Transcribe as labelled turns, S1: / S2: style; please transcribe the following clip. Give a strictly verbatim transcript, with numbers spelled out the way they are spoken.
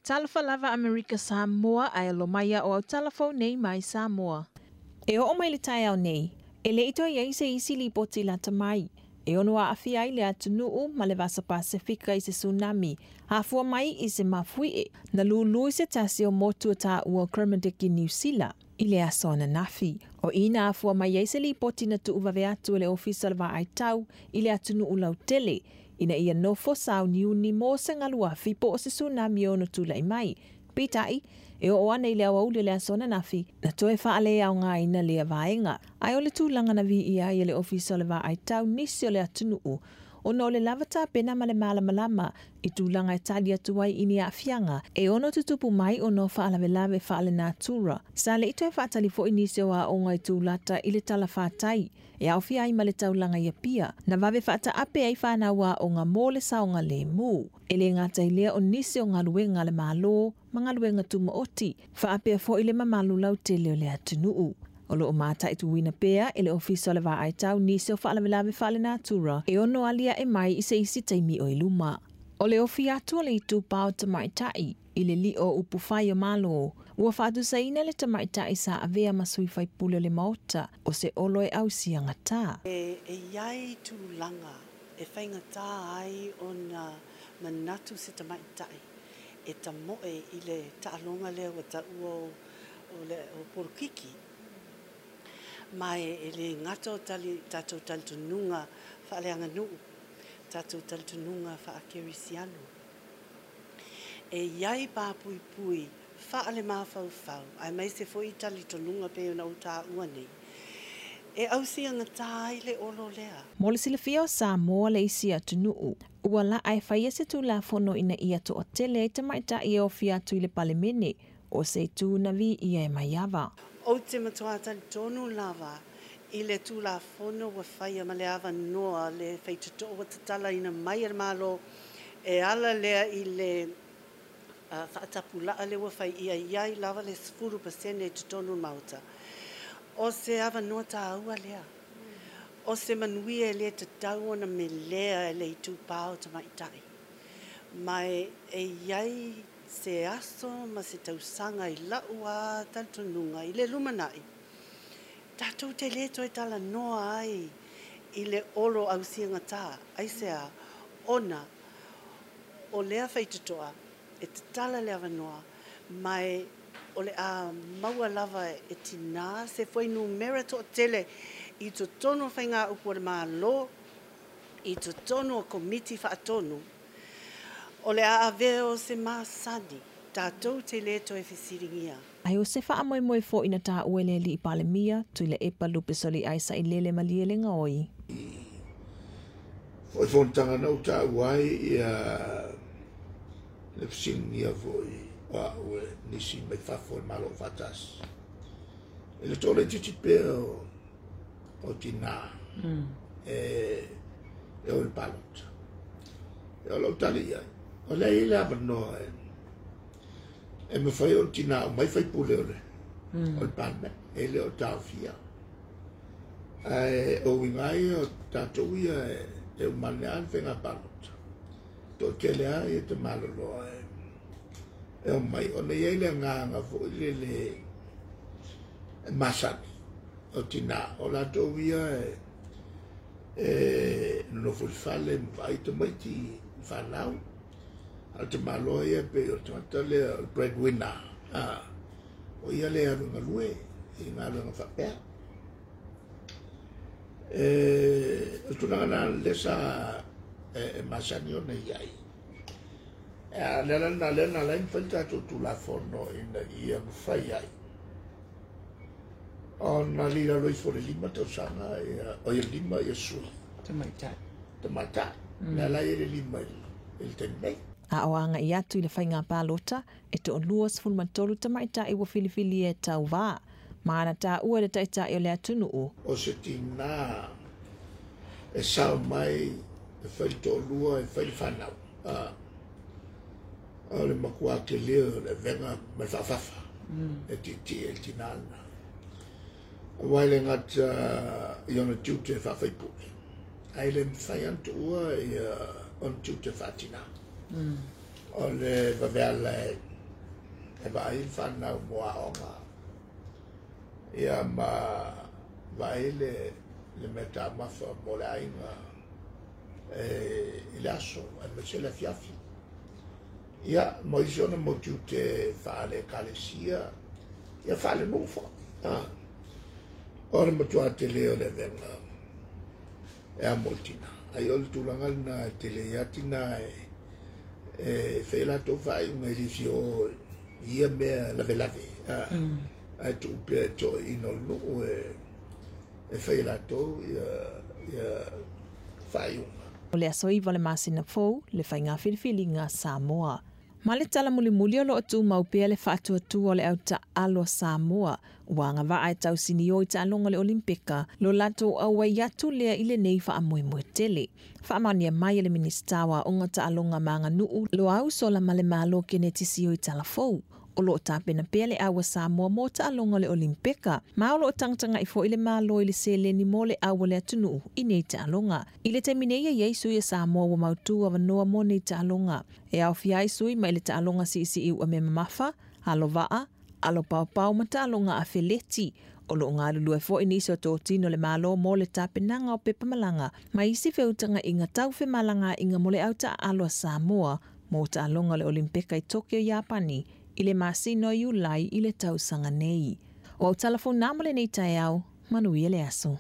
S1: Talofa lava Amerika Samoa ae alo mai o au talafou nei mai Samoa. E oo mai le taeao nei, e le i toe i ai se isi lipoti lata mai e ono aafia ai le atunuu ma le Vasa Pasefika i se tsunami, afua mai i se mafuie na lulu i se tasi o motu o taua o Kermadec i Niu Sila i le aso ananafi. O i na afua mai ai se lipoti na tuuvave atu e le Ofisa o le Vaai Tau i le atunuu lautele, ina ia nofo sauniuni mo se galuafi po o se tsunami ono tulai mai. Peitai, e oo ana i le aoauli o le aso ananafi, na toe faaleaogaina lea vaega. Ae o le tulaga na viia ai e le Ofisa o le Vaai Tau nisi o le atunuu, ona o le lava tapena ma le malamalama i tulaga e tali atu ai i ni aafiaga e ono tutupu mai ona o faalavelave faalenatura. Sa le i toe faatali foi nisi o aoga i tulata i le talafatai e aofia ai ma le taulaga i Apia, na vave faataape ai fanau aoga mo le saogalemu. E le gata i lea o nisi o galuega a le Malo ma galuega tumaoti, faapea foi le mamalu lautele o le atunuu. O loo mataituina pea e le Ofisa o le Vaai Tau nisi o faalavelave faalenatura e ono aliae mai i se isi taimi o i luma. O le ofi atu o le itupa o tamaitai i le lio upu fai o Malo, ua faatusaina le tamaitai sa avea ma sui faipule o le Maota o se olo e ausiagata.
S2: E, e iai tulaga e faigata ai ona manatu se tamaitai e tamoe i le taaloga lea ua taua o, o le o polokiki. Ma e, e le gata o tali, tatou talitonuga faaleaganuu, tatou talitonuga faakerisiano. E iai papuipui faalemafaufau, aemaise foi talitonuga pei ona ou taua nei, e ausiagata ai le olo lea.
S1: Mo le silafia o Samoa le isi atunuu, ua laa e faia se tulafono ina ia toatele ai tamaitai e ofi atu i le Palemene, o se itu na viia e Maiava.
S2: Ou te matua talitonu lava i le tulafono ua faia ma le avanoa le faitotoo ua tatalaina mai e le Malo e ala lea i le uh, faatapulaa le ua fai ia iai lava le sefulu pasene i totonu o le Maota. O se avanoa taua lea. O se manuia e le tatau ona melea e le itupa o tamaitai. Ma e, e iai se aso ma se tausaga i lau a talitonuga i le lumanai. Tatou te le toe talanoa ai i le olo ausiagata, aisea, ona o lea faitotoa e tatala le avanoa, ma e o le a maua lava e tinā se fuainumera toatele i totonu o faigaupu o le Malo, i totonu o komiti faatonu, o le a avea o se masani, tatou te le toe fesiligia.
S1: Ae o se faamoemoe foi na taua e le alii Palemia, Tuilaepa Lupesoliai Sailele Malielegaoi.
S3: Foi fonotaga na ou taua ai ia le fesiligia foi o au e nisi mai fafo o le Malo Faatasi. E le toalaitiiti pea o, o tinā e, e o i le palota. E o lau tali i ai, o lea e i ai le avanoa e, e mafai ona tinā umai faipule o le, o le Palemene, e le o taofia. Ae o uiga ia o tatou ia e, e umane lava le faiga palota. Toatele lava ia te maloloa e, e omai, ona i ai le agaga foi lele e masani o tinā, o latou ia e, e nonofo i le fale ma vaai tamaiti i fanau. A o le tamaloa ia pei o le tagata lea o le breadwinner, a, o ia le alu e galue i galuega faapea. E, o le tulaga lena lea sa e, e masani ona i ai. E, a le ala lena lea na ala ai ona fai le tatou tulafono ina ia mafai ai ona lilalo ifo le lima tausaga ia, o ia lima ia sui
S4: Tamaitai.
S3: tamaitai. Le ala ai le lima i le taimi nei.
S1: A o agai atu i le faiga palota, e toalua sefulu ma tolu tamaitai ua filifilia e tauvā, ma na taua e le taitai o le atunuu.
S3: O se tinā e sao mai e fai le toalua e fai le fanau. A, o le matua tele o le avega ma le faafafa e tietie i le tinā lena. Aua e le gata i ona tiute faafaipule, ae le mafai ona tuua ia ona tiute faatinā. O le vaveala e, E vaai le fanau mo aoga. Ia ma vaai le le mea taumafa mo le aiga e i le aso aemaise le afiafi. Ia ma isi ona mau tiute faale-Ekalesia, ia faalenuu foi. O le matua tele o le avega e amo i le tina. Ai o le tulaga lena e tele ai lava tina e e fai a latou faaiuga e le fia o i ia mea lavelave, ae tuu pea i toeaiina o le nuu e e fai e latou ia ia faaiuga.
S1: O le aso iva o le masina fou le faiga filifiliga a Samoa. Ma le tala mulimuli o loo tumau pea le faatuatua o le au taaalo a Samoa ua agavaa e tausinio i taaloga o le Olimpika lo latou auai atu lea i lenei faamoemoe tele. Faamaonia mai e le Minisita o Aoga Taaloga ma Aganuu Loau Solamalemalo Keneti Sio i Talafou. O loo tapena pea le au a Samoa mo taaloga o le Olimpika, ma o loo tagatagai foi le Malo i le seleni mo le au a le atunuu i nei taaloga. I le taimi nei e i ai sui a Samoa ua mautu avanoa mo nei taaloga. E aofia ai sui mai le taaloga siisii uamea mamafa, alo vaa, alo paopao ma taaloga afeleti. O loo galulue foi nisi o totino le Malo mo le tapenaga o pepa malaga ma isi feutagaiga tau femalagaaiga mo le au taaalo a Samoa mo taaloga o le Olimpika i Tokyo, Iapani i le masina o Iulai i le tausaga nei. O au tala fou na mo lenei taeao, manuia le aso.